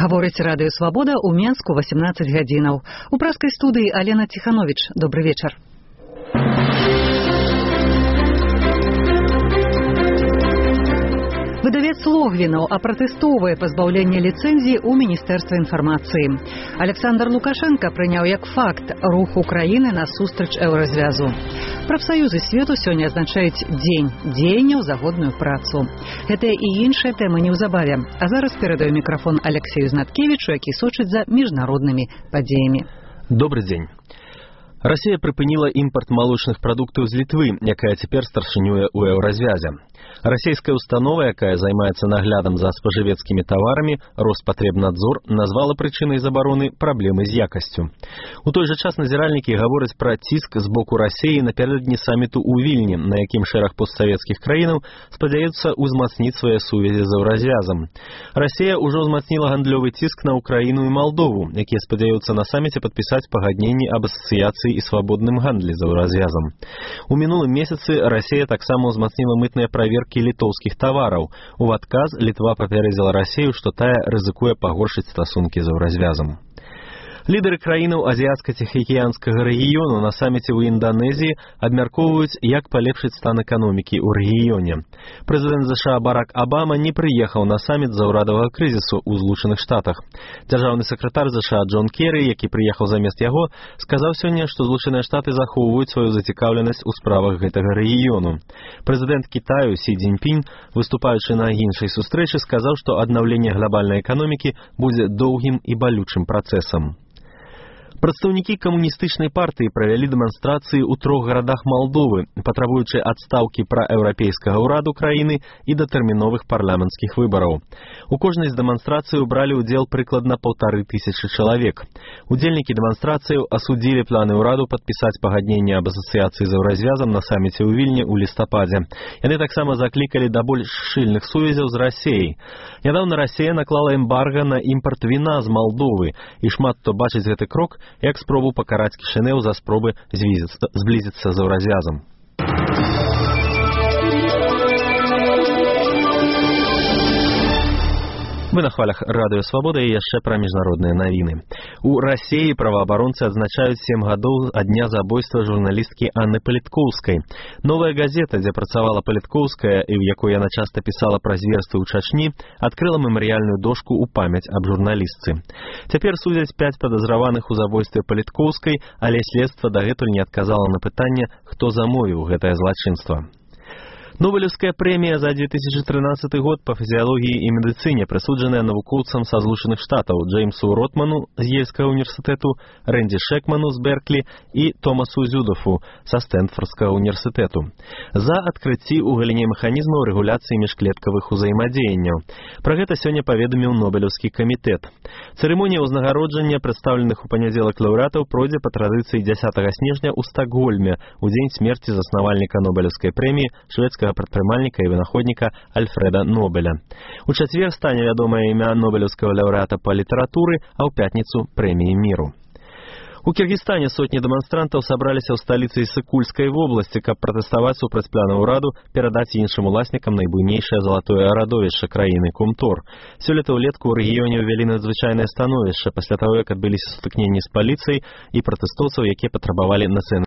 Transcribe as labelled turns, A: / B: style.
A: Гаворыць радыё «Свабода» у Менску 18 гадзінаў. У праскай студыі Алена Тиханович. Добрый вечар. Выдавец Логвінаў апратэстоўвае пазбаўленне ліцэнзіі ў Міністэрства інфармацыі. Александр Лукашенко прыняў як факт рух Украіны насустрач еўразвязу. Прафсаюзы свету сёння азначаюць дзень дзеянняў за годную працу. Гэтыя і іншыя тэмы неўзабаве. А зараз перадаю мікрафон Алексею Знаткевічу, які сочыць за міжнароднымі падзеямі.
B: Добрый дзень. Расія прыпыніла імпарт малочных прадуктаў з Літвы, якая цяпер старшынюе ў еўразвязе. Расійская установа, якая займаецца наглядам за спажывецкімі таварамі, Роспатребнадзор, назвала прычынай забароны праблемы з якасцю. У той жа час назіральнікі гавораць пра ціск з боку Расіі напярэдадні саміту ў Вільні, на якім шэраг постсавецкіх краінаў спадзяюцца ўзмацніць свае сувязі з еўразвязам. Расія ўжо ўзмацніла гандлёвы ціск на Украіну і Малдову, якія спадзяюцца на саміце падпісаць пагадненні аб асацыяцыі і свабодным гандлі з еўразвязам. У мінулым месяцы Расія таксама ўзмацніла мытныя праверкі літоўскіх тавараў. У адказ Літва папярэдзіла Расію, што тая рызыкуе пагоршыць стасункі з еўразвязам. Лідары краінаў азіяцка-ціхаакіянскага рэгіёну на саміце ў Інданезіі абмяркоўваюць, як палепшыць стан эканомікі ў рэгіёне. Прэзідэнт ЗША Барак Абама не прыехаў на саміт з-за ўрадавага крызісу ў Злучаных Штатах. Дзяржаўны сакратар ЗША Джон Керры, які прыехаў замест яго, сказаў сёння, што Злучаныя Штаты захоўваюць сваю зацікаўленасць у справах гэтага рэгіёну. Прэзідэнт Кітаю Сі Цзіньпінь, выступаючы на іншай сустрэчы, сказаў, што аднаўленне глабальнай эканомікі будзе доўгім і балючым працэсам. Прадстаўнікі камуністычнай партыі правялі дэманстрацыі ў 3 гарадах Малдовы, патрабуючы адстаўкі праеўрапейскага ўраду краіны і датэрміновых парламенцкіх выбараў. У кожнай з дэманстрацыяў бралі ўдзел прыкладна 1500 чалавек. Удзельнікі дэманстрацыяў асудзілі планы ўраду падпісаць пагадненне аб асацыяцыі з еўразвязам на саміце ў Вільні ў лістападзе. Яны таксама заклікалі да больш шчыльных сувязяў з Расіяй. Нядаўна Расія наклала эмбарга на імпарт віна з Малдовы, і шмат хто бачыць гэты крок як спробу пакараць Кішынеў за спробы зблізіцца з еўразвязам. Мы на хвалях радыё «Свабода» і яшчэ пра міжнародныя навіны. У Расіі праваабаронцы адзначаюць 7 гадоў ад дня забойства журналісткі Анны Паліткоўскай. Новая газета, дзе працавала Паліткоўская і ў якой яна часта пісала пра зверствы ў Чачні, адкрыла мемарыяльную дошку ў памяць аб журналістцы. Цяпер судзяць 5 падазраваных у забойстве Паліткоўскай, але следства дагэтуль не адказала на пытанне, хто замовіў гэтае злачынства. Нобелевская прэмія за 2013 год па фізіялогіі і медыцыне прысуджаная навукоўцам са Злучаных Штатаў Джеймсу Ротману з Ельскага універсітэту, Рэнді Шэкману з Берклі і Томасу Зюдафу са Стэнфордскага універсітэту за адкрыцці ў галіне механізмаў рэгуляцыі міжклеткавых узаемадзеянняў. Пра гэта сёння паведаміў Нобелеўскі камітэт. Цырымонія ўзнагароджання прадстаўленых у панядзелак лаўрэатаў пройдзе па традыцыі 10 снежня ў Стакгольме у дзень смерці заснавальніка Нобелеўскай прэміі шведскага прадпрымальніка і вынаходніка Альфрэда Нобеля. У чацвер стане вядомае імя нобелеўскага лаўрэата па літаратуры, а ў пятніцу прэміі міру. У Кіргізстане сотні дэманстрантаў сабраліся ў сталіцы Ісыкульскай вобласці, каб пратэставаць супраць плана ўраду перадаць іншым уласнікам найбуйнейшае залатое радовішча краіны Кумтор. Сёлета ўлетку ў рэгіёне ўвялі надзвычайнае становішча пасля таго, як адбыліся сутыкненні з паліцыяй і пратэстоўцаў, якія патрабавалі нацыяналізацыі